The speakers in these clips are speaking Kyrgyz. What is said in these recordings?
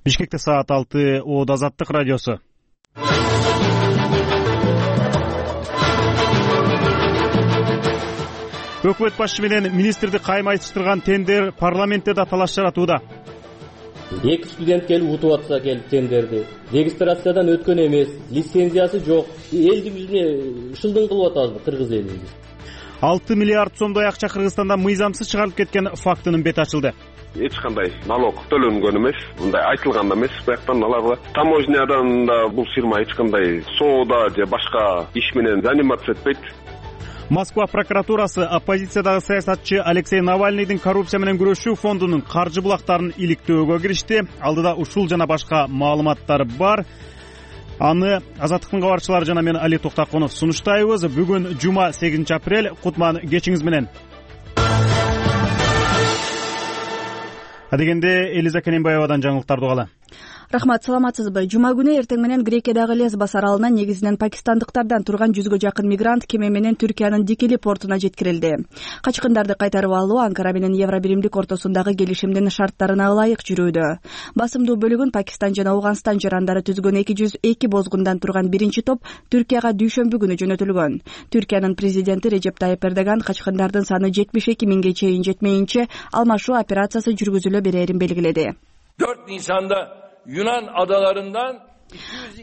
Бишкекте саат 6. Оод Азаттык радиосу. Өкмөт башчы менен министрди кайма айтыштырган тендер парламентте да талаш жаратууда. Эки студент келип утуп атса келип тендерди. Регистрациядан өткөн эмес, лицензиясы жок. Элди бизне шылдың кылып атабызбы кыргыз элин? 6 миллиард сомдой акча Кыргызстандан мыйзамсыз чыгарылып кеткен фактынын бети ачылды. Эч кандай налог төлөнгөн эмес, мындай айтылган да эмес. Бияктан аларга таможнядан да бул фирма эч кандай соода же башка иш менен заниматься этпейт. Москва прокуратурасы оппозициядагы саясатчы Алексей Навальныйдын коррупция менен күрөшүү фондунун каржы булактарын иликтөөгө киришти. Алдыда ушул жана башка маалыматтар бар. Аны Азаттыктын кабарчылары жана мен Али Токтакунов сунуштайбыз. Бүгүн жума 8 апрель. Кутман кечиңиз менен. Адегенде Элиза Кененбаевадан жаңылыктарды угалы. Рахмат, саламатсызбы? Жума күнү эртең менен Грекиядагы Лесбос аралына негизинен пакистандыктардан турган 100гө жакын мигрант кеме менен Түркиянын Дикили портуна жеткирилди. Качкындарды кайтарып алуу Анкара менен Евробиримдик ортосундагы келишимдин шарттарына ылайык жүрүүдө. Басымдуу бөлүгүн Пакистан жана Ауганстан жарандары түзгөн 202 бозгундан турган биринчи топ Түркияга дүйшөмбү күнү жөнөтүлгөн. Түркиянын президенти Режеп Тайып Эрдоган качкындардын саны 72 миңге чейин жетмейинче алмашуу операциясы жүргүзүлө берерин белгиледи. 4 Nisan'da Yunan adalarından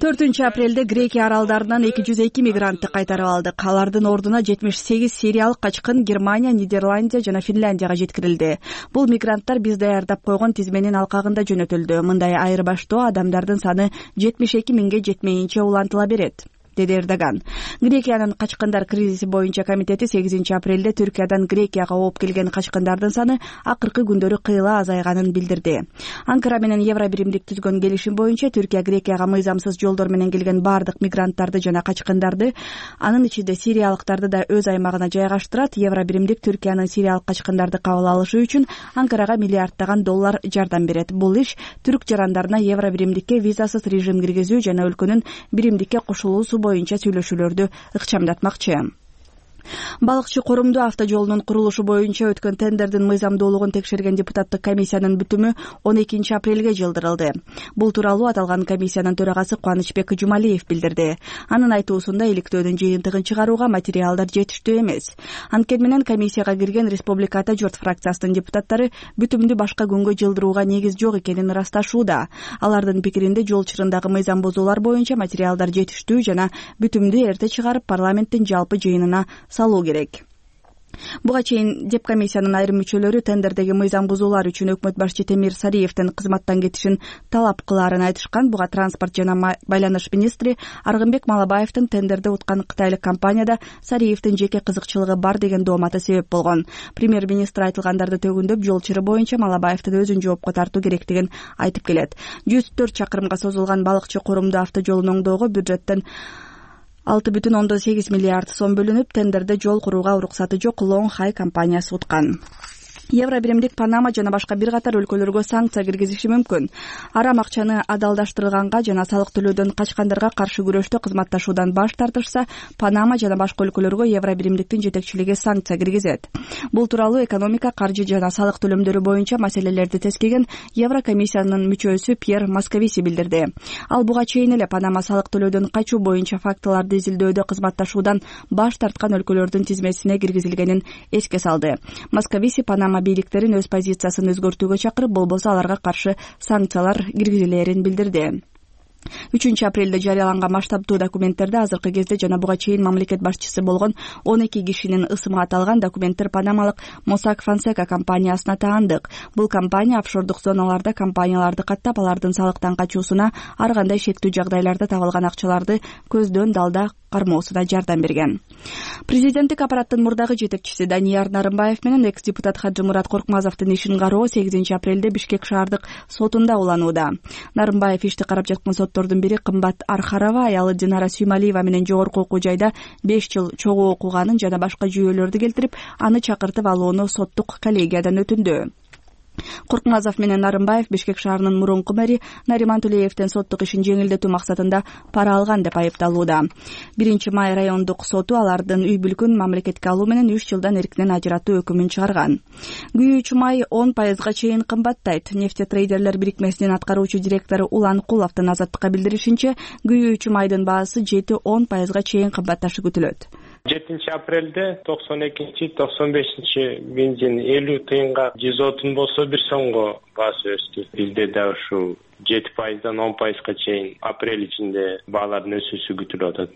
4 апрелде Грекия аралдарынан 202 мигрантты кайтарып алдык. Алардын ордуна 78 сириялык качкын Германия, Нидерландия жана Финляндияга жеткирилди. Бул мигранттар биз даярдап койгон тизменин алкагында жөнөтүлдү. Мындай айырбаштоо адамдардын саны 72 миңге жетмейинче улантыла берет, деди Эрдоган. Грекиянын качкындар кризиси боюнча комитети 8 апрелде Түркиядан Грекияга ооп келген качкындардын саны акыркы күндөрү кыйла азайганын билдирди. Анкара менен Евробиримдик түзгөн келишим боюнча Түркия Грекияга мыйзамсыз жолдор менен келген бардык мигранттарды жана качкындарды, анын ичинде сириялыктарды да өз аймагына жайгаштырат. Евробиримдик Түркиянын сириялык качкындарды кабыл алышы үчүн Анкарага миллиарддаган доллар жардам берет. Бул иш түрк жарандарына Евробиримдикке визасыз режим киргизүү жана өлкөнүн биримдикке кошулуусу боюнча сүйлөшүүлөрдү ыкчамдатмакчы. Балыкчы Корумду автожолунун курулушу боюнча өткөн тендердин мыйзамдуулугун текшерген депутаттык комиссиянын бүтүмү 12 апрелге жылдырылды. Бул тууралуу аталган комиссиянын төрагасы Кубанычбек Жумалиев билдирди. Анын айтуусунда иликтөөнүн жыйынтыгын чыгарууга материалдар жетиштүү эмес. Анткени менен комиссияга кирген Республиката журт фракциясынын депутаттары бүтүмдү башка күнгө жылдырууга негиз жок экенин ырасташууда. Алардын пикиринде жол чырындагы мыйзам бузуулар боюнча материалдар жетиштүү жана бүтүмдү эрте чыгарып парламенттин жалпы жыйынына салуу керек. Буга чейин деп комиссиянын айрым мүчөлөрү тендердеги мыйзам бузуулар үчүн өкмөт башчы Темир Сариевдин кызматтан кетишин талап кылаарын айтышкан. Буга транспорт жана байланыш министри Аргынбек Малабаевдин тендерди уткан кытайлык компанияда Сариевдин жеке кызыкчылыгы бар деген дооматы себеп болгон. Премьер-министр айтылгандарды төгүндөп, жол чыры боюнча Малабаевдин өзүн жоопко тартуу керектигин айтып келет. 104 чакырымга созулган Балыкчы Корумду автожолун оңдоого бюджеттен 6,8 миллиард сом бөлүнүп, тендерде жол курууга уруксаты жок Long High компаниясы уткан. Евробиримдик Панама жана башка бир катар өлкөлөргө санкция киргизиши мүмкүн. Арам акчаны адалдаштырылганга жана салык төлөөдөн качкандарга каршы күрөштө кызматташуудан баш тартышса, Панама жана башка өлкөлөргө Евробиримдиктин жетекчилиги санкция киргизет. Бул тууралуу экономика, каржы жана салык төлөмдөрү боюнча маселелерди тескеген Еврокомиссиянын мүчөсү Пьер Московиси билдирди. Ал буга чейин эле Панама салык төлөөдөн качуу боюнча фактыларды изилдөөдө кызматташуудан баш тарткан өлкөлөрдүн тизмесине киргизилгенин эске салды. Московиси Панама бийликтерин өз позициясын өзгөртүүгө чакырып, болбосо аларга каршы санкциялар киргизилерин билдирди. 3 апрелде жарыяланган масштабтуу документтерде азыркы кезде жана буга чейин мамлекет башчысы болгон 12 кишинин ысымы аталган документтер панамалык Mossack Fonseca компаниясына таандык. Бул компания офшордук зоналарда компанияларды каттап, алардын салыктан качуусуна, ар кандай шектүү жагдайларда табылган акчаларды көздөн далда кармоосуна жардам берген. Президенттик аппараттын мурдагы жетекчиси Данияр Нарымбаев менен экс-депутат Хаджымурат Коркмазовдун ишин кароо 8 апрелде Бишкек шаардык сотунда уланууда. Нарымбаев ишти карап жаткан соттордун бири Кымбат Архарова аялы Динара Сүймалиева менен жогорку окуу жайда 5 жыл чогуу окуганын жана башка жүйөлөрдү келтирип, аны чакыртып алууну соттук коллегиядан өтүндү. Куркмазов менен Нарымбаев Бишкек шаарынын мурунку мэри Нариман Тулеевден соттук ишин жеңилдетүү максатында пара алган деп айыпталууда. 1-май райондук соту алардын үй бүлкүн мамлекетке алуу менен 3 жылдан эркинен ажыратуу өкүмүн чыгарган. Күйүүчү май 10% чейин кымбаттайт. Нефтетрейдерлер бирикмесинин аткаруучу директору Улан Куловдун Азаттыкка билдиришинче, күйүүчү майдын баасы 7-10% чейин кымбатташы күтүлөт. 7 апрелде 92-95 бензин 50 тыйынга 130 болсо 1 сомго баасы өстү. Бизде да ушу 7%дан 10%га чейин апрель ичинде баалардын өсүүсү күтүлүп атат.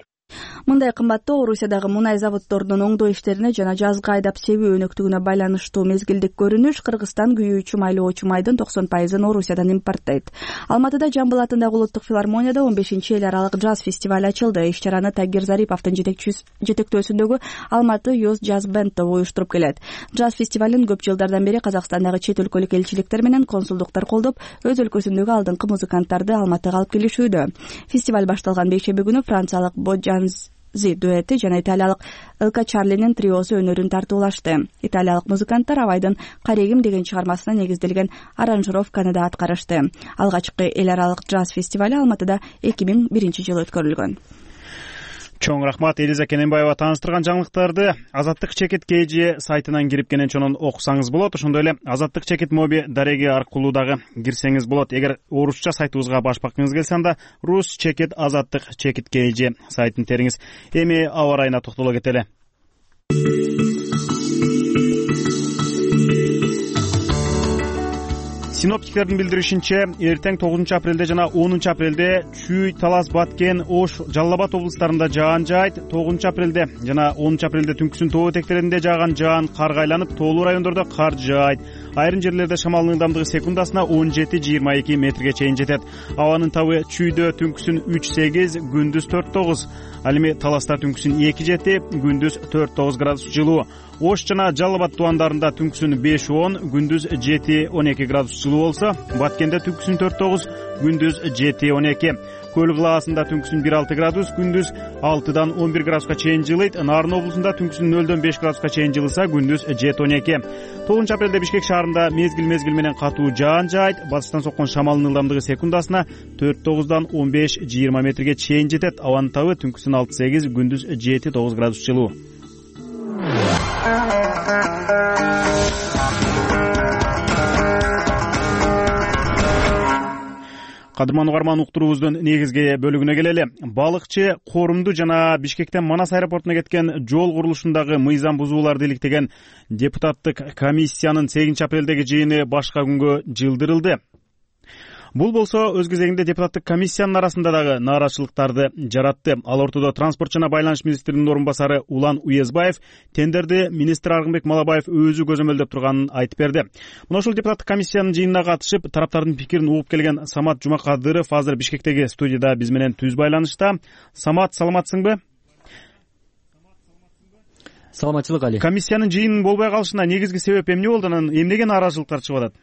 Мындай кымбаттоо Орусиядагы мунай заводдорунун оңдоо иштерине жана жазга айдап себүү өнөктүгүнө байланыштуу мезгилдик көрүнүш. Кыргызстан күйүүчү майлоочу майдын 90%-ын Орусиядан импорттойт. Алматыда Жамбыл атындагы Улуттук филармонияда 15-эл аралык джаз фестиваль ачылды. Иш-чараны Тагир Зариповдун жетектөөсүндөгү Алматы Youth Jazz Band тобу уюштуруп келет. Джаз фестивалын көп жылдардан бери Казакстандагы чет өлкөлүк элчиликтер менен консулдуктар колдоп, өз өлкөсүндөгү алдыңкы музыканттарды Алматыга алып келишүүдө. Фестиваль башталган бейшемби күнү франциялык Боджанзи дуэти жана италиялык Элка Чарлинин триосу өнөрүн тартуулашты. Италиялык музыканттар Абайдын «Карегим» деген чыгармасына негизделген аранжировканы да аткарышты. Алгачкы эл аралык джаз фестивали Алматыда 2001-жылы өткөрүлгөн. Чоң рахмат Элиза Кененбаева тааныштырган жаңылыктарды Азаттык чекит KG сайтынан кирип кенен окусаңыз болот. Ошондой эле Азаттык чекит моби дареги аркылуу дагы кирсеңиз болот. Эгер орусча сайтыбызга башпакыңыз келсе, анда Рус чекит Азаттык чекит KG сайтын териңиз. Эми аба ырайына токтоло кетели. Синоптиктердин билдиришинче, эртең 9 апрелде жана 10 апрелде Чүй, Талас, Баткен, Ош, Жалал Абад облустарында жаан жаайт. 9 апрелде жана 10 апрелде түнкүсүн тоо этектеринде жааган жаан карга айланып, тоолуу райондордо кар жаайт. Айрым жерлерде шамалдын ылдамдыгы секундасына 17-22 метрге чейин жетет. Абанын табы Чүйдө түнкүсүн 3-8, күндүз 4-9. Ал эми Таласта түнкүсүн 2-7, күндүз 4-9 градус жылуу. Ош жана Жалал Абад тубандарында түнкүсүн 5-10, күндүз 7-12 градус жылуу болсо, Баткенде түнкүсүн 4-9, күндүз 7-12. Көл кылаасында түнкүсүн 1-6 градус, күндүз 6-дан 11 градуска чейин жылыйт. Нарын облусунда түнкүсүн 0-дөн 5 градуска чейин жылыса, күндүз 7-12. 9 апрелде Бишкек шаарында мезгил менен катуу жаан жаайт. Батыштан соккон шамалдын ылдамдыгы секундасына 4-9-дан 15-20 метрге чейин жетет. Абанын табы түнкүсүн 6-8, күндүз 7-9 градус жылуу. Кадырман угарман, уктуруубуздун негизги бөлүгүнө келели. Балыкчы Корумду жана Бишкектен Манас аэропортуна кеткен жол курулушундагы мыйзам бузууларды иликтеген депутаттык комиссиянын 8 апрелдеги жыйыны башка күнгө жылдырылды. Бул болсо өз кезегинде депутаттык комиссиянын арасында дагы нааразычылыктарды жаратты. Ал ортодо транспорт жана байланыш министринин орун басары Улан Уезбаев тендерди министр Аргынбек Малабаев өзү көзөмөлдөп турганын айтып берди. Мына ушул депутаттык комиссиянын жыйынына катышып, тараптардын пикирин угуп келген Самат Жумакадыров азыр Бишкектеги студияда биз менен түз байланышта. Самат, саламатсыңбы? Саламатчылык, Али. Комиссиянын жыйынын болбой калышына негизги себеп эмне болду? Анан эмнеге нааразычылыктар чыгып атат?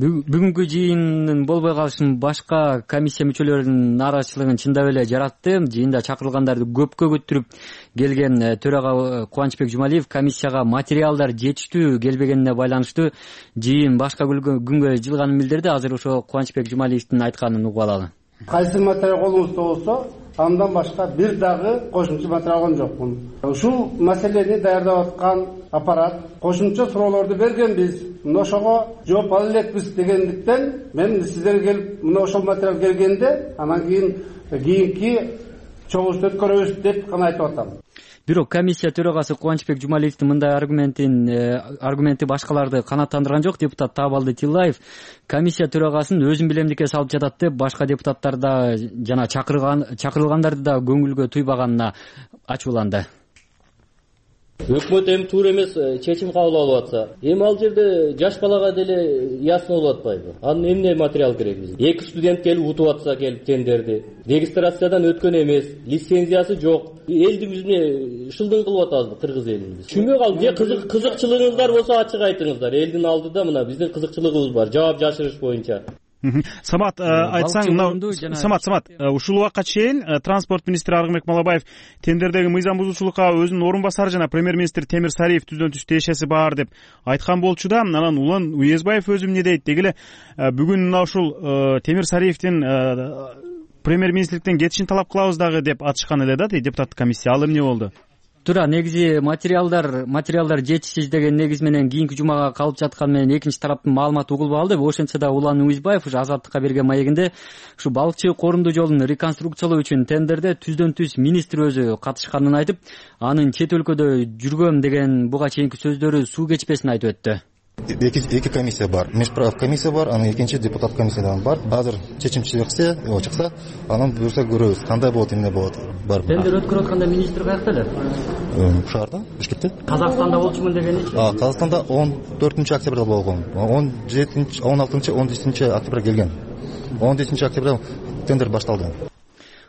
Бүгүнкү жыйындын болбой калышын башка комиссия мүчөлөрүнүн нааразычылыгын чындап эле жаратты. Жыйында чакырылгандарды көпкө көтүрүп келген төрага Кубанычбек Жумалиев комиссияга материалдар жетиштүү келбегенине байланыштуу жыйын башка күнгө жылганын билдирди. Азыр ошо Кубанычбек Жумалиевдин айтканын угуп алалы. Кайсы материал колуңузда болсо, андан башка бир дагы кошумча материал алган жокмун. Ушул маселени даярдап аткан аппарат кошумча суроолорду бергенбиз. Мына ошого жооп ала элекпиз дегендиктен мен сиздерге келип мына ошол материал келгенде анан кийинки чогулушту өткөрөбүз деп гана айтып атам. Бирок комиссия төрагасы Кубанычбек Жумалиевдин мындай аргументи башкаларды канааттандырган жок. Депутат Таабалды Тиллаев комиссия төрагасын өзүн билемдикке салып жатат деп, башка депутаттарда жана чакырылгандарды да көңүлгө туйбаганына ачууланды. Өкмөт эми туура эмес чечим кабыл алып атса, эми ал жерде жаш балага деле ясно болуп атпайбы? Анын эмне материал керек бизге? 2 студент келип утуп атса келип тендерди. Регистрациядан өткөн эмес, лицензиясы жок. Элдин жүзүнө шылдың кылып атабызбы кыргыз элин биз? Түшүнбөй калдым. Же кызыкчылыгыңыздар болсо ачык айтыңыздар. Элдин алдыда мына биздин кызыкчылыгыбыз бар, жооп жашырыш боюнча. Самат, айтсаң, Самат, ушул убакка чейин транспорт министри Аргынбек Малабаев тендердеги мыйзам бузуучулукка өзүнүн орун басары жана премьер-министр Темир Сариев түздөн түз тиешеси бар деп айткан болчу да, анан Улан Уезбаев өзү эмне дейт? Деги эле бүгүн мына ушул Темир Сариевдин премьер-министрликтен кетишин талап кылабыз дагы деп атышкан эле да, депутаттык комиссия. Ал эмне болду? Туура, негизи материалдар жетишсиз деген негиз менен кийинки жумага калып жатканы менен экинчи тараптын маалыматы угулбай калды. Ошентсе да Улан Уезбаев ушу Азаттыкка берген маегинде ушу балыкчы корунду жолун реконструкциялоо үчүн тендерде түздөн түз министр өзү катышканын айтып, анын чет өлкөдө жүргөм деген буга чейинки сөздөрү суу кечпесин айтып өттү. Эки комиссия бар. Межправ комиссия бар, анан экинчи депутат комиссиядан бар. Азыр чечим чыкса, анан буюрса көрөбүз, кандай болот, эмне болот. Тендер өткөрүп атканда министр каякта эле? Шаарда, Бишкекте. Казакстанда болчумун дегеничи? Казакстанда 14 октябрда болгон. 16 17 октябрда келген. 17 октябрда тендер башталды.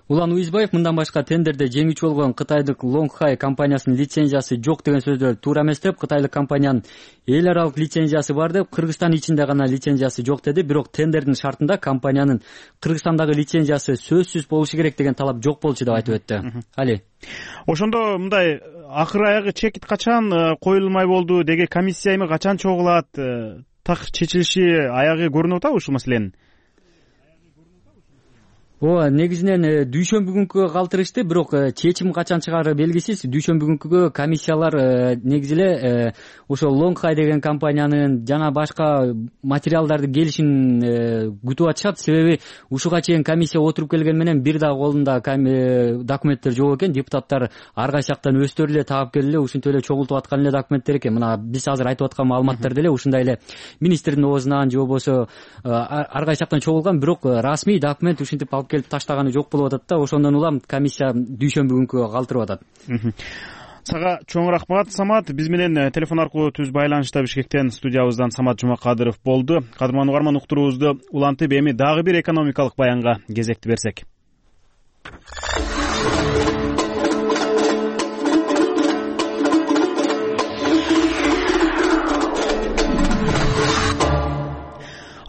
Улан Уезбаев мындан башка тендерде жеңүүчү болгон кытайдык Longhai компаниясынын лицензиясы жок деген сөздөр туура эмес деп, кытайлык компаниянын эл аралык лицензиясы бар деп, Кыргызстан ичинде гана лицензиясы жок деди. Бирок тендердин шартында компаниянын Кыргызстандагы лицензиясы сөзсүз болушу керек деген талап жок болчу деп айтып өттү. Али. Ошондо мындай акыр аягы чекит качан коюлмай болду, деги комиссия эми качан чогулат, так чечилиши аягы көрүнүп атабы ушул маселенин? Негизинен дүйшөмбү күнгө калтырышты, бирок чечим качан чыгары белгисиз. Дүйшөмбү күнгө комиссиялар негизи эле ошо Longhai деген компаниянын жана башка материалдарды келишин күтүп атышат. Себеби ушуга чейин комиссия отуруп келген менен бир дагы колунда документтер жок экен. Депутаттар ар кайсы жактан өздөрү эле таап келип эле ушинтип эле чогултуп аткан эле документтер экен. Мына биз азыр айтып аткан маалыматтар деле ушундай эле министрдин оозунан же болбосо ар кайсы жактан чогулган, бирок расмий документ ушинтип алып келип таштаганы жок болуп атат да. Ошондон улам комиссия дүйшөмбү күнгө калтырып атат. Сага чоң рахмат, Самат. Биз менен телефон аркылуу түз байланышта Бишкектен студиябыздан Самат Жумакадыров болду. Кадырман угарман, уктуруубузду улантып эми дагы бир экономикалык баянга кезекти берсек.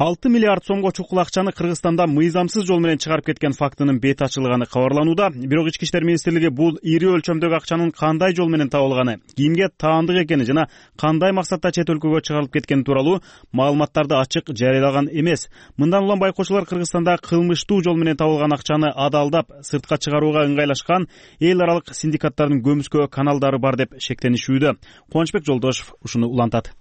$6 миллиард сомго чукул акчаны Кыргызстанда мыйзамсыз жол менен чыгарып кеткен фактынын бет ачылганы кабарланууда. Бирок Ички иштер министрлиги бул ири өлчөмдөгү акчанын кандай жол менен табылганы, кимге таандык экени жана кандай максатта чет өлкөгө чыгарылып кеткени тууралуу маалыматтарды ачык жарыялаган эмес. Мындан улам байкоочулар Кыргызстанда кылмыштуу жол менен табылган акчаны адалдап сыртка чыгарууга ыңгайлашкан эл аралык синдикаттардын көмүскө каналдары бар деп шектенишүүдө. Кубанычбек Жолдошев ушуну улантат.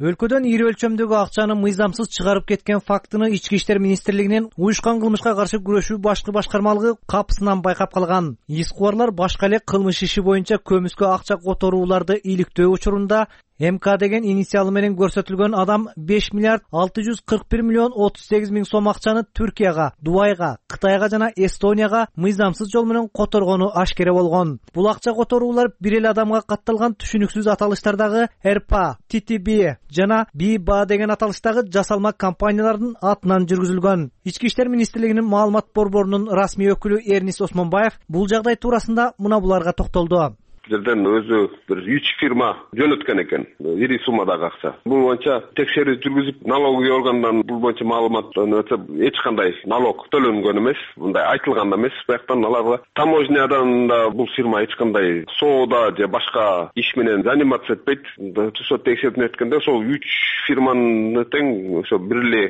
Өлкөдөн ири өлчөмдөгү акчаны мыйзамсыз чыгарып кеткен фактыны Ички иштер министрлигинин уюшкан кылмышка каршы күрөшүү башкы башкармалыгы капысынан байкап калган. Ис кубарлар башка эле кылмыш иши боюнча көмүскө акча которууларды иликтөө учурунда МК деген инициалы менен көрсөтүлгөн адам 5 миллиард 641 миллион 38 миң сом акчаны Түркияга, Дубайга, Кытайга жана Эстонияга мыйзамсыз жол менен которгону ашкере болгон. Бул акча которуулар бир эле адамга катталган түшүнүксүз аталыштардагы РПА, ТТБ жана БИБА деген аталыштагы жасалма компаниялардын атынан жүргүзүлгөн. Ички иштер министрлигинин маалымат борборунун расмий өкүлү Эрнис Осмонбаев бул жагдай туурасында мына буларга токтолду. Жерден өзү бир 3 фирма жөнөткөн экен, ири суммадагы акча. Бул боюнча текшерүү жүргүзүп, налоговый органдан бул боюнча маалыматтан өтө эч кандай налог төлөнгөн эмес, мындай айтылган да эмес. Бияктан аларга таможнядан да бул фирма эч кандай соода же башка иш менен заниматься этпейт. Түшө текшерүүдөн өткөндө ошол 3 фирманын тең ошо бир эле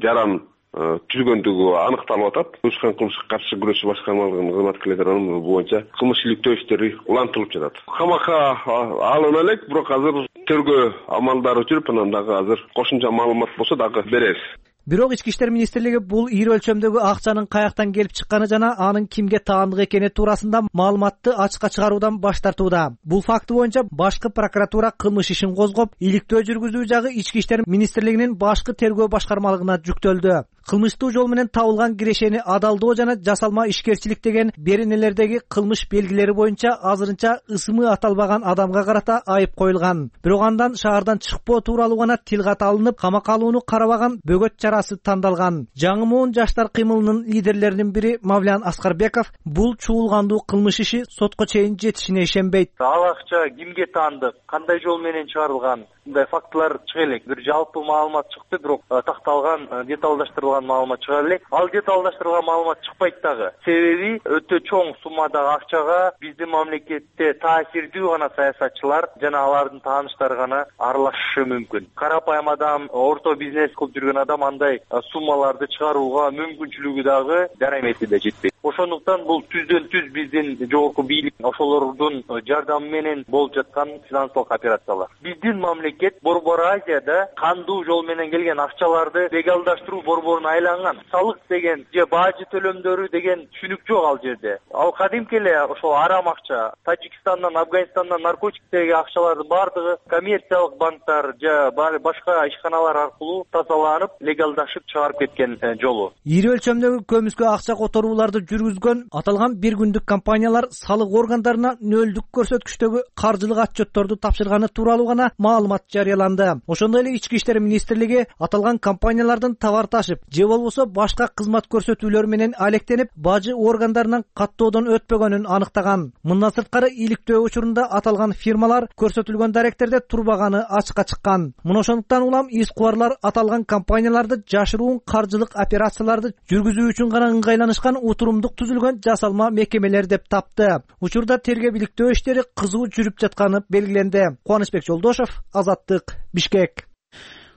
жаран түзгөндүгү аныкталып атат. Уюшкан кылмышка каршы күрөшүү башкармалыгынын кызматкерлери бул боюнча кылмыш иликтөө иштери улантылып жатат. Камакка алына элек, бирок азыр тергөө амалдары жүрүп, анан дагы азыр кошумча маалымат болсо дагы беребиз. Бирок Ички иштер министрлиги бул ири өлчөмдөгү акчанын каяктан келип чыкканы жана анын кимге таандык экени туурасында маалыматты ачыкка чыгаруудан баш тартууда. Бул факты боюнча башкы прокуратура кылмыш ишин козгоп, иликтөө жүргүзүү жагы Ички иштер министрлигинин башкы тергөө башкармалыгына жүктөлдү. Кылмыштуу жол менен табылган кирешени адалдоо жана жасалма ишкерчилик деген беренелердеги кылмыш белгилери боюнча азырынча ысымы аталбаган адамга карата айып коюлган. Бирок андан шаардан чыкпоо тууралуу гана тил кат алынып, камакка алууну карабаган бөгөт чарасы тандалган. Жаңы муун жаштар кыймылынын лидерлеринин бири Мавлян Аскарбеков бул чуулгандуу кылмыш иши сотко чейин жетишине ишенбейт. Ал акча кимге таандык, кандай жол менен чыгарылган, мындай фактылар чыга элек. Бир жалпы маалымат чыкты, бирок такталган деталдаштырылган деталдаштырылган маалымат чыгат эле. Ал деталдаштырылган маалымат чыкпайт дагы. Себеби өтө чоң суммадагы акчага биздин мамлекетте таасирдүү гана саясатчылар жана алардын тааныштары гана аралашышы мүмкүн. Карапайым адам, орто бизнес кылып жүргөн адам андай суммаларды чыгарууга мүмкүнчүлүгү дагы дарамети да жетпейт. Ошондуктан бул түздөн түз биздин жогорку бийлик ошолордун жардамы менен болуп жаткан финансылык операциялар. Биздин мамлекет Борбор Азияда кандуу жол менен келген акчаларды легалдаштыруу борборуна айланган. Салык деген же бажы төлөмдөрү деген түшүнүк жок ал жерде. Ал кадимки эле ошол арам акча, Тажикстандан, Афганистандан наркотиктеги акчалардын бардыгы коммерциялык банктар же башка ишканалар аркылуу тазаланып, легалдашып чыгарып кеткен жолу. Ири өлчөмдөгү көмүскө акча которууларды жүргүзгөн аталган бир күндүк компаниялар салык органдарына нөлдүк көрсөткүчтөгү каржылык отчетторду тапшырганы тууралуу гана маалымат жарыяланды. Ошондой эле Ички иштер министрлиги аталган компаниялардын товар ташып же болбосо башка кызмат көрсөтүүлөр менен алектенип, бажы органдарынан каттоодон өтпөгөнүн аныктаган. Мындан сырткары иликтөө учурунда аталган фирмалар көрсөтүлгөн даректерде турбаганы ачыкка чыккан. Мына ошондуктан улам искубарлар аталган компанияларды жашыруун каржылык операцияларды жүргүзүү үчүн гана ыңгайланышкан утурумдук түзүлгөн жасалма мекемелер деп тапты. Учурда тергөө иликтөө иштери кызуу жүрүп жатканы белгиленди. Кубанычбек Жолдошев, Азаттык, Бишкек.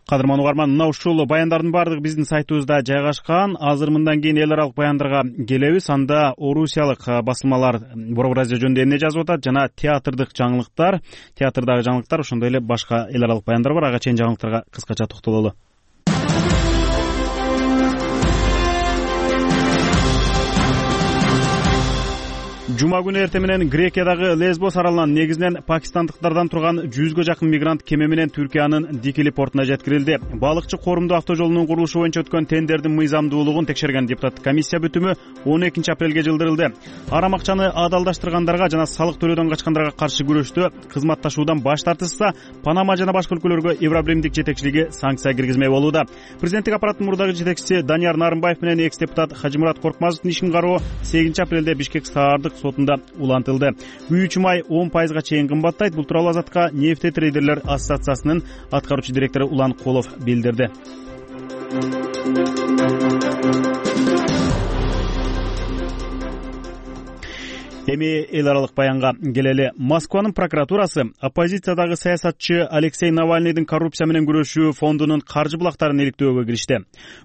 Кадырман угарман, мына ушул баяндардын баардыгы биздин сайтыбызда жайгашкан. Азыр мындан кийин эл аралык баяндарга келебиз. Анда орусиялык басылмалар Борбор Азия жөнүндө эмне жазып атат жана театрдагы жаңылыктар, ошондой эле башка эл аралык баяндар бар. Ага чейин жаңылыктарга кыскача токтололу. Жума күнү эртең менен Грекиядагы Лесбос аралынан негизинен пакистандыктардан турган 100гө жакын мигрант кеме менен Түркиянын Дикили портуна жеткирилди. Балыкчы Корумду автожолунун курулушу боюнча өткөн тендердин мыйзамдуулугун текшерген депутаттык комиссия бүтүмү 12 апрелге жылдырылды. Арам акчаны адалдаштыргандарга жана салык төлөөдөн качкандарга каршы күрөштө кызматташуудан баш тартышса, Панама жана башка өлкөлөргө Евробиримдик жетекчилиги санкция киргизмек болууда. Президенттик аппараттын мурдагы жетекчиси Данияр Нарымбаев менен экс-депутат Хажимурат Коркмазовдун ишин кароо 8 апрелде Бишкек шаардык сотунда улантылды. Күйүүчү май 10% чейин кымбаттайт. Бул тууралуу Азаттыкка нефте трейдерлер ассоциациясынын аткаруучу директору Улан Колов билдирди. Эми эл аралык баянга келели. Москванын прокуратурасы оппозициядагы саясатчы Алексей Навальныйдын коррупция менен күрөшүү фондунун каржы булактарын иликтөөгө киришти.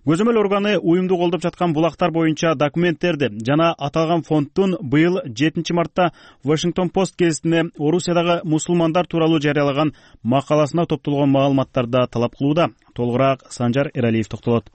Көзөмөл органы уюмду колдоп жаткан булактар боюнча документтерди жана аталган фонддун быйыл 7 мартта Washington Post гезитине Орусиядагы мусулмандар тууралуу жарыялаган макаласына топтолгон маалыматтарды талап кылууда. Толугураак Санжар Эралиев токтолот.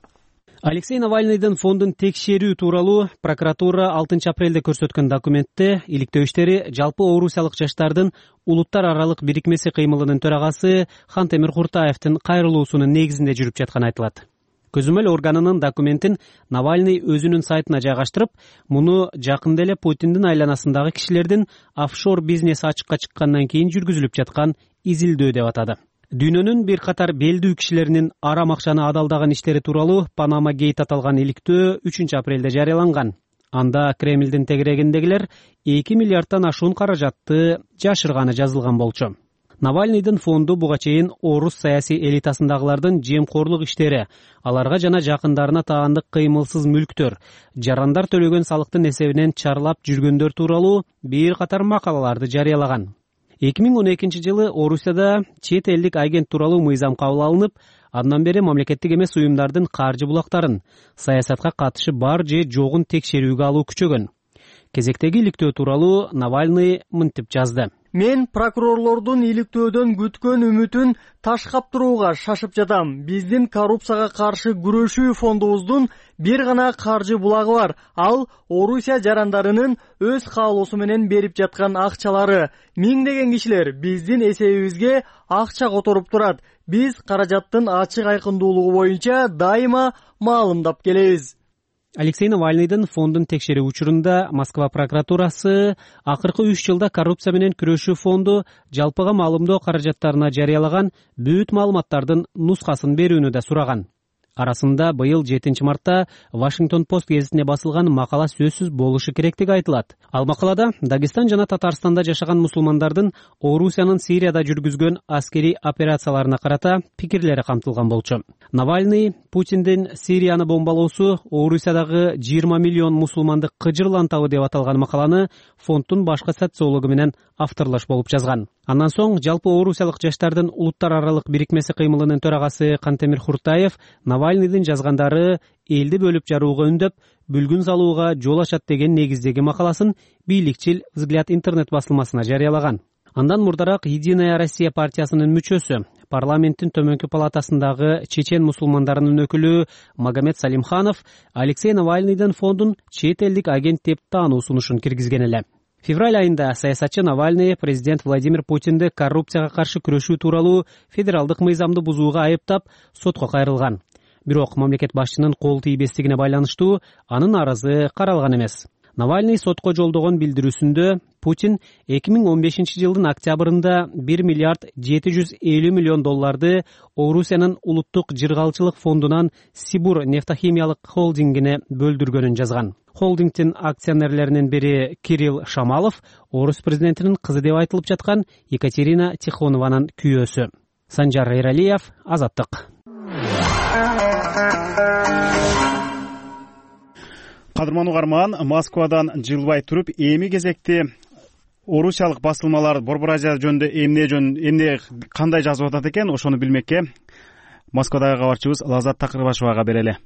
Алексей Навальныйдын фондун текшерүү тууралуу прокуратура 6 апрелде көрсөткөн документте иликтөө иштери жалпы орусиялык жаштардын улуттар аралык бирикмеси кыймылынын төрагасы Хантемир Куртаевдин кайрылуусунун негизинде жүрүп жатканы айтылат. Көзөмөл органынын документин Навальный өзүнүн сайтына жайгаштырып, муну жакында эле Путиндин айланасындагы кишилердин офшор бизнес ачыкка чыккандан кийин жүргүзүлүп жаткан изилдөө деп атады. Дүйнөнүн бир катар белдүү кишилеринин арам акчаны адалдаган иштери тууралуу Панама гейт аталган иликтөө 3 апрелде жарыяланган. Анда Кремлдин тегерегиндегилер 2 миллиардтан ашуун каражатты жашырганы жазылган болчу. Навальныйдын фонду буга чейин орус саясий элитасындагылардын жемкорлук иштери, аларга жана жакындарына таандык кыймылсыз мүлктөр, жарандар төлөгөн салыктын эсебинен чарлап жүргөндөр тууралуу бир катар макалаларды жарыялаган. 2012 жылы Орусияда чет элдик агент тууралуу мыйзам кабыл алынып, андан бери мамлекеттик эмес уюмдардын каржы булактарын саясатка катышы бар же жогун текшерүүгө алуу күчөгөн. Кезектеги иликтөө тууралуу Навальный мынтип жазды. Мен прокурорлордун иликтөөдөн күткөн үмүтүн таш каптырууга шашып жатам. Биздин коррупцияга каршы күрөшүү фондубуздун бир гана каржы булагы бар. Ал Орусия жарандарынын өз каалоосу менен берип жаткан акчалары. Миңдеген кишилер биздин эсебибизге акча которуп турат. Биз каражаттын ачык айкындуулугу боюнча дайыма маалымдап келебиз. Алексей Навальныйдын фондун текшерүү учурунда Москва прокуратурасы акыркы 3 жылда коррупция менен күрөшүү фонду жалпыга маалымдоо каражаттарына жарыялаган бүт маалыматтардын нускасын берүүнү да сураган. арасында быйыл 7 мартта Вашингтон Пост гезитине басылган макала сөзсүз болушу керектиги айтылат. Ал макалада Дагестан жана Татарстанда жашаган мусулмандардын Орусиянын Сирияда жүргүзгөн аскерий операцияларына карата пикирлери камтылган болчу. Навальный Путиндин Сирияны бомбалоосу Орусиядагы 20 миллион мусулманды кыжырлантабы деп аталган макаланы фонддун башкы социологу менен авторлош болуп жазган. Андан соң жалпы орусиялык жаштардын улуттар аралык бирикмеси кыймылынын төрагасы Кантемир Хуртаев Навальныйдын жазгандары элди бөлүп жарууга үндөп, бүлгүн салууга жол ачат деген негиздеги макаласын бийликчил «Взгляд» интернет басылмасына жарыялаган. Андан мурдараак Единая Россия партиясынын мүчөсү, парламенттин төмөнкү палатасындагы чечен мусулмандарынын өкүлү Магомед Салимханов Алексей Навальныйдын фондун чет элдик агент деп таануу сунушун киргизген эле. Февраль айында саясатчы Навальный президент Владимир Путинди коррупцияга каршы күрөшүү тууралуу федералдык мыйзамды бузууга айыптап, сотко кайрылган. Бирок мамлекет башчынын кол тийбестигине байланыштуу анын арызы каралган эмес. Навальный сотко жолдогон билдирүүсүндө Путин 2015 жылдын октябрында 1 миллиард 750 миллион долларды Орусиянын улуттук жыргалчылык фондунан Сибур нефтохимиялык холдингине бөлдүргөнүн жазган. Холдингдин акционерлеринин бири Кирилл Шамалов орус президентинин кызы деп айтылып жаткан Екатерина Тихонованын күйөөсү. Санжар Эралиев, Азаттык. Кадырман угарман, Москвадан жылбай туруп эми кезекти орусиялык басылмалар Борбор Азия жөнүндө эмне кандай жазып атат экен, ошону билмекке Москвадагы кабарчыбыз Лазат Такырбашевага берели.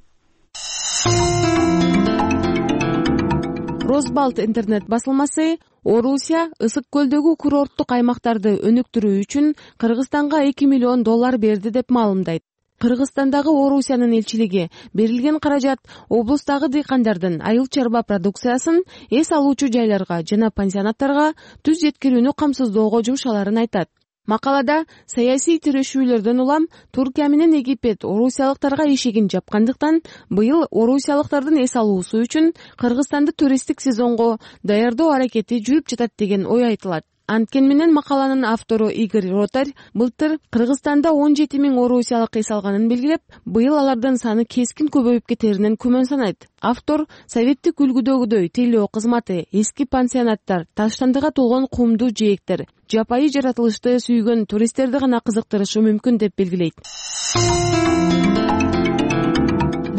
Росбалт интернет басылмасы Орусия ысык көлдөгү курорттук аймактарды өнүктүрүү үчүн Кыргызстанга 2 миллион доллар берди деп маалымдайт. Кыргызстандагы Орусиянын элчилиги берилген каражат облустагы дыйкандардын айыл чарба продукциясын эс алуучу жайларга жана пансионаттарга түз жеткирүүнү камсыздоого жумшаларын айтат. Макалада саясий тирешүүлөрдөн улам Туркия менен Египет орусиялыктарга эшигин жапкандыктан быйыл орусиялыктардын эс алуусу үчүн Кыргызстанды туристтик сезонго даярдоо аракети жүрүп жатат деген ой айтылат. Анткен менен макаланын автору Игорь Ротарь былтыр Кыргызстанда 17 000 орусиялык эс алганын белгилеп, быйыл алардын саны кескин көбөйүп кетеринен күмөн санайт. Автор советтик үлгүдөгүдөй тейлөө кызматы, эски пансионаттар, таштандыга толгон кумдуу жээктер, жапайы жаратылышты сүйгөн туристтерди гана кызыктырышы мүмкүн деп белгилейт.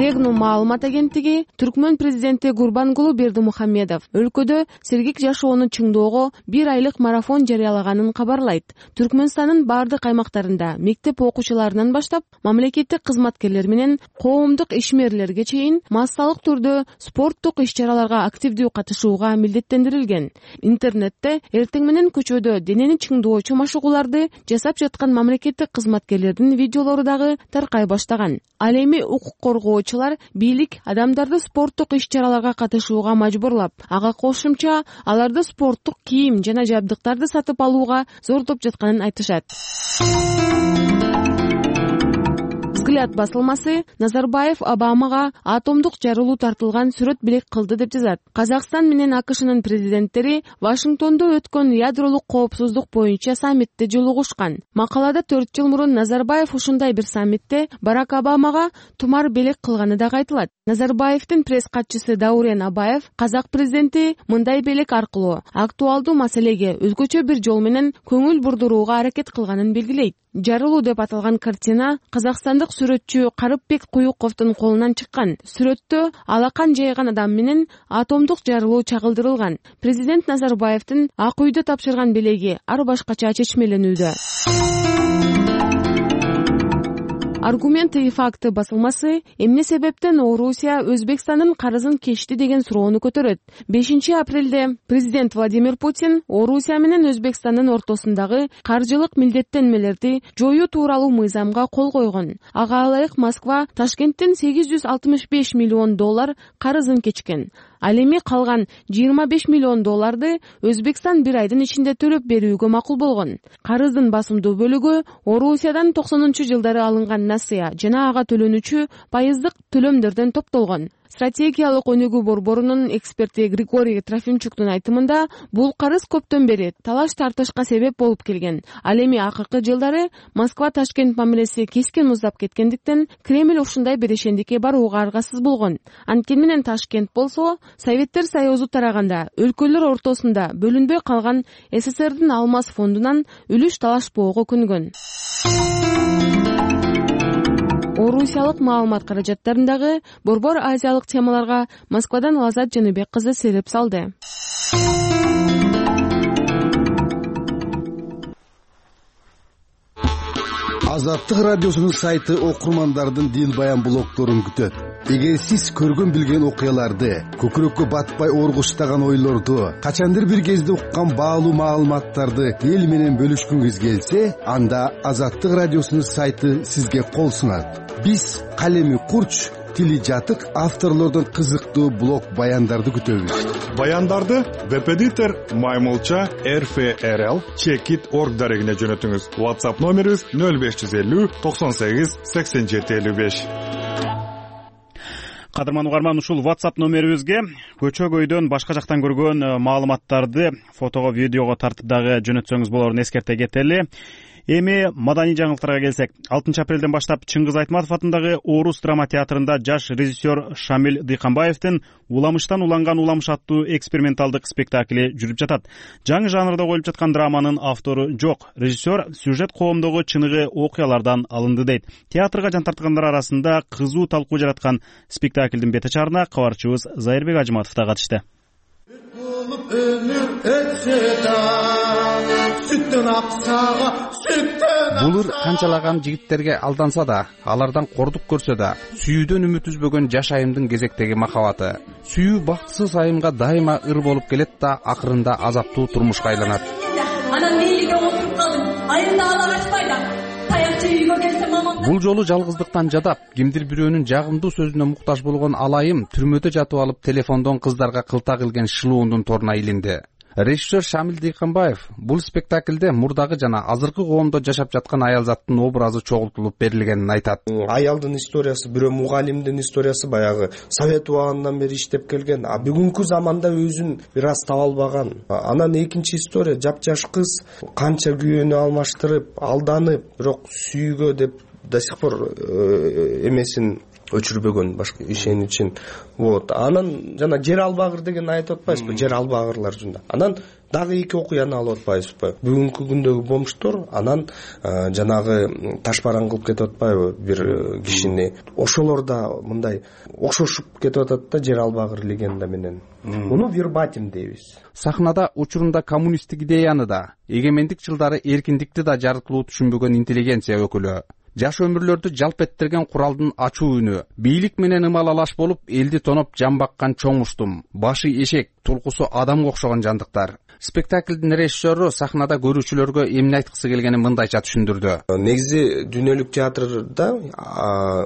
Дегну маалымат агенттиги Түркмөн президенти Гурбангулу Бердимухамедов өлкөдө сергек жашоону чыңдоого 1 айлык марафон жарыялаганын кабарлайт. Түркмөнстандын бардык аймактарында мектеп окуучуларынан баштап мамлекеттик кызматкерлер менен коомдук ишмерлерге чейин массалык түрдө спорттук иш-чараларга активдүү катышууга милдеттендирилген. Интернетте эртең менен көчөдө денени чыңдоочу машыгууларды жасап жаткан мамлекеттик кызматкерлердин видеолору дагы таркай баштаган. Ал эми укук коргоочулар бийлик адамдарды спорттук иш-чараларга катышууга мажбурлап, ага кошумча аларды спорттук кийим жана жабдыктарды сатып алууга зордоп жатканын айтышат. Взгляд басылмасы Назарбаев Обамага атомдук жарылуу тартылган сүрөт белек кылды деп жазат. Казакстан менен АКШнын президенттери Вашингтондо өткөн ядролук коопсуздук боюнча саммитте жолугушкан. Макалада 4 жыл мурун Назарбаев ушундай бир саммитте Барак Обамага тумар белек кылганы да айтылат. Назарбаевдин пресс катчысы Даурен Абаев казак президенти мындай белек аркылуу актуалдуу маселеге өзгөчө бир жол менен көңүл бурдурууга аракет кылганын белгилейт. Жарылуу деп аталган картина казакстандык сүрөтчү Карыпбек Куюковдун колунан чыккан. Сүрөттө алакан жайган адам менен атомдук жарылуу чагылдырылган. Президент Назарбаевдин Ак үйдө тапшырган белеги ар башкача чечмеленүүдө. Аргументы и факты басылмасы эмне себептен Орусия Өзбекстандын карызын кечти деген суроону көтөрөт. 5 апрелде президент Владимир Путин Орусия менен Өзбекстандын ортосундагы каржылык милдеттенмелерди жоюу тууралуу мыйзамга кол койгон. Ага ылайык Москва Ташкенттен 865 миллион доллар карызын кечкен. Ал эми калган 25 миллион долларды Өзбекстан бир айдын ичинде төлөп берүүгө макул болгон. Карыздын басымдуу бөлүгү Орусиядан 90-жылдары алынган насыя жана ага төлөнүүчү пайыздык төлөмдөрдөн топтолгон. Стратегиялык өнүгүү борборунун эксперти Григорий Трофимчуктун айтымында, бул карыз көптөн бери талаш тартышка себеп болуп келген. Ал эми акыркы жылдары Москва-Ташкент мамилеси кескен муздап кеткендиктен Кремль ушундай берешендикке барууга аргасыз болгон. Анткени менен Ташкент болсо, Советтер Союзу тараганда өлкөлөр ортосунда бөлүнбөй калган СССРдин Алмаз фондунан үлүш талашпоого күнгөн. Орусиялык маалымат каражаттарындагы борбор азиялык темаларга Москвадан Лазат Жаныбек кызы сереп салды. Азаттык радиосунун сайты окурмандардын дил баян блогторун күтөт. Эгер сиз көргөн билген окуяларды, көкүрөккө батпай оргуштаган ойлорду, качандыр бир кезде уккан баалуу маалыматтарды эл менен бөлүшкүңүз келсе, анда Азаттык радиосунун сайты сизге кол сунат. Биз калеми курч, тили жатык авторлордун кызыктуу блог баяндарды күтөбүз. Баяндарды Веб-эдитор Маймылча RFRL Checkit.org дарегине жөнөтүңүз. WhatsApp номерибиз 0550 98 87 55. Кадырман угарман, ушул WhatsApp номерибизге көчөгөйдөн башка жактан көргөн маалыматтарды фотого, видеого тартып дагы жөнөтсөңүз болорун эскерте кетели. Эми маданий жаңылыктарга келсек, 6 апрелден баштап Чыңгыз Айтматов атындагы Орус драма театрында жаш режиссер Шамил Дыйканбаевдин Уламыштан уланган уламыш аттуу эксперименталдык спектакли жүрүп жатат. Жаңы жанрда коюлуп жаткан драманын автору жок. Режиссер сюжет коомдогу чыныгы окуялардан алынды дейт. Театрга жан тарткандар арасында кызуу талкуу жараткан спектаклдин бете чарына кабарчыбыз Зайырбек Ажыматов да катышты. Булур канчалаган жигиттерге алданса да, алардан кордук көрсө да, сүйүүдөн үмүт үзбөгөн жаш айымдын кезектеги махабаты. Сүйүү бактысыз айымга дайыма ыр болуп келет да, акырында азаптуу турмушка айланат. Анан мейлиге отуруп калдым. Айымда ала качпайда. Таякчы үйгө келсе мамам. Бул жолу жалгыздыктан жадап, кимдир бирөөнүн жагымдуу сөзүнө муктаж болгон алайым түрмөдө жатып алып телефондон кыздарга кылтак илген шылуундун торуна илинди. Режиссер Шамил Дыйканбаев бул спектаклде мурдагы жана азыркы коомдо жашап жаткан аял заттын образы чогултулуп берилгенин айтат. Аялдын историясы, бирөө мугалимдин историясы баягы Совет убагынан бери иштеп келген, а бүгүнкү заманда өзүн бир аз таба албаган. Анан экинчи история жапжаш кыз канча күйөөнү алмаштырып, алданып, бирок сүйүүгө деп до сих пор эмесин өчүрбөгөн, башка ишеничин. Вот. Анан жана жер албагыр деген айтып атпайсызбы? Жер албагырлар жунда. Анан дагы эки окуяны алып атпайсызбы? Бүгүнкү күндөгү бомштор, анан жанагы ташбаран кылып кетип атпайбы бир кишини. Ошолор да мындай окшошуп кетип атат да жер албагыр легенда менен. Муну вербатим дейбиз. Сахнада учурунда коммунисттик идеяны да, эгемендик жылдары эркиндикти да жарыктылуу түшүнбөгөн интеллигенция өкүлү. Жаш өмүрлөрдү жалп эттерген куралдын ачуу үнү, бийлик менен ымалалаш болуп, элди тоноп жан баккан чоң уштум, башы эшек, тулкусу адамга окшогон жандыктар. Спектаклдин режиссеру сахнада көрүүчүлөргө эмне айткысы келгенин мындайча түшүндүрдү. Негизи дүйнөлүк театрда,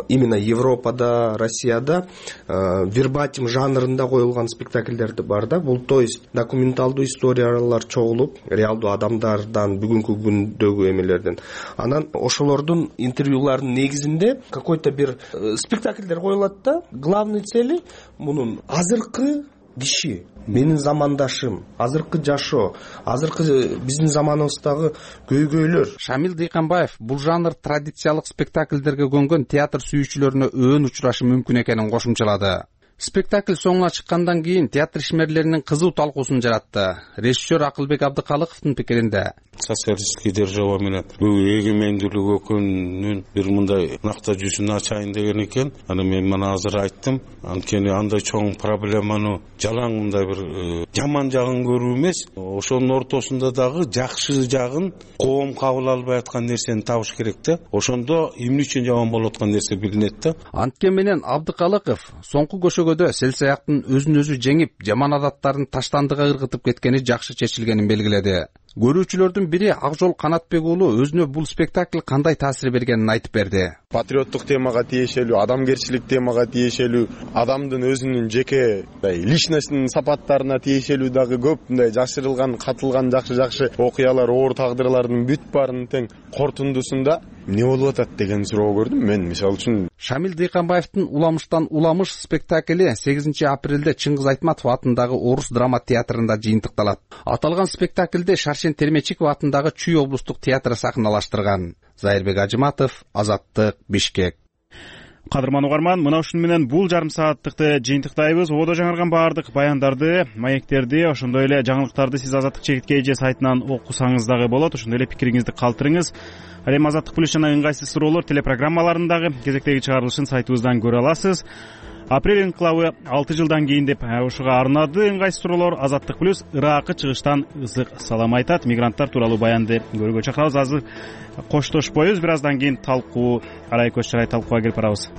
именно Европада, Россияда вербатим жанрында коюлган спектаклдер бар да. Бул то есть документалдуу историялар чогулуп, реалдуу адамдардан, бүгүнкү күндөгү эмелерден. Анан ошолордун интервьюларынын негизинде какой-то бир спектаклдер коюлат да. Главный цели мунун азыркы киши, менин замандашым, азыркы жашоо, азыркы биздин заманыбыздагы көйгөйлөр. Шамил Дыйканбаев бул жанр традициялык спектаклдерге көнгөн театр сүйүүчүлөрүнө өөн учурашы мүмкүн экенин кошумчалады. Спектакль соңуна чыккандан кийин театр ишмерлеринин кызуу талкуусун жаратты. Режиссер Акылбек Абдыкалыковдун пикиринде, социалисттик держава менен бул эгемендүүлүк экөөнүн бир мындай накта жүзүн ачайын деген экен. Аны мен мына азыр айттым. Анткени андай чоң проблеманы жалаң мындай бир жаман жагын көрүү эмес, ошонун ортосунда дагы жакшы жагын коом кабыл албай аткан нерсени табыш керек да. Ошондо эмне үчүн жаман болуп аткан нерсе билинет да. Анткени менен Абдыкалыков соңку көшөгөдө селсаяктын өзүн өзү жеңип, жаман адаттарын таштандыга ыргытып кеткени жакшы чечилгенин белгиледи. Көрүүчүлөрдүн бири Акжол Канатбек уулу өзүнө бул спектакль кандай таасир бергенин айтып берди. патриоттук темага тиешелүү, адамгерчилик темага тиешелүү, адамдын өзүнүн жеке личностьтин сапаттарына тиешелүү дагы көп мындай жашырылган, катылган жакшы окуялар, оор тагдырлардын бүт баарынын тең кортундусунда эмне болуп атат деген суроо көрдүм мен. Мисалы үчүн Шамил Дыйканбаевдин Уламыштан уламыш спектакли 8 апрелде Чыңгыз Айтматов атындагы Орус драма театрында жыйынтыкталат. Аталган спектакльде Шаршен Термечиков атындагы Чүй облустук театры сахналаштырган. Зайырбек Ажыматов, Азаттык, Бишкек. Кадырман угарман, мына ушуну менен бул жарым сааттыкты жыйынтыктайбыз. Ободо жаңырган баардык баяндарды, маектерди, ошондой эле жаңылыктарды сиз Азаттык Чекит КЖ сайтынан окусаңыз дагы болот. Ошондой эле пикириңизди калтырыңыз. Ал эми Азаттык плюс жана ыңгайсыз суроолор телепрограммаларындагы кезектеги чыгарылышын сайтыбыздан көрө аласыз. Апрель инкылабы 6 жылдан кийин деп ушуга арнады ыңгайсыз суроолор. Азаттык плюс Иракы чыгыштан ысык салам айтат. Мигранттар тууралуу баянды көрүүгө чакырабыз. Азыр коштошпойбуз, бир аздан кийин талкуу, арай көз чарай талкууга келип барабыз.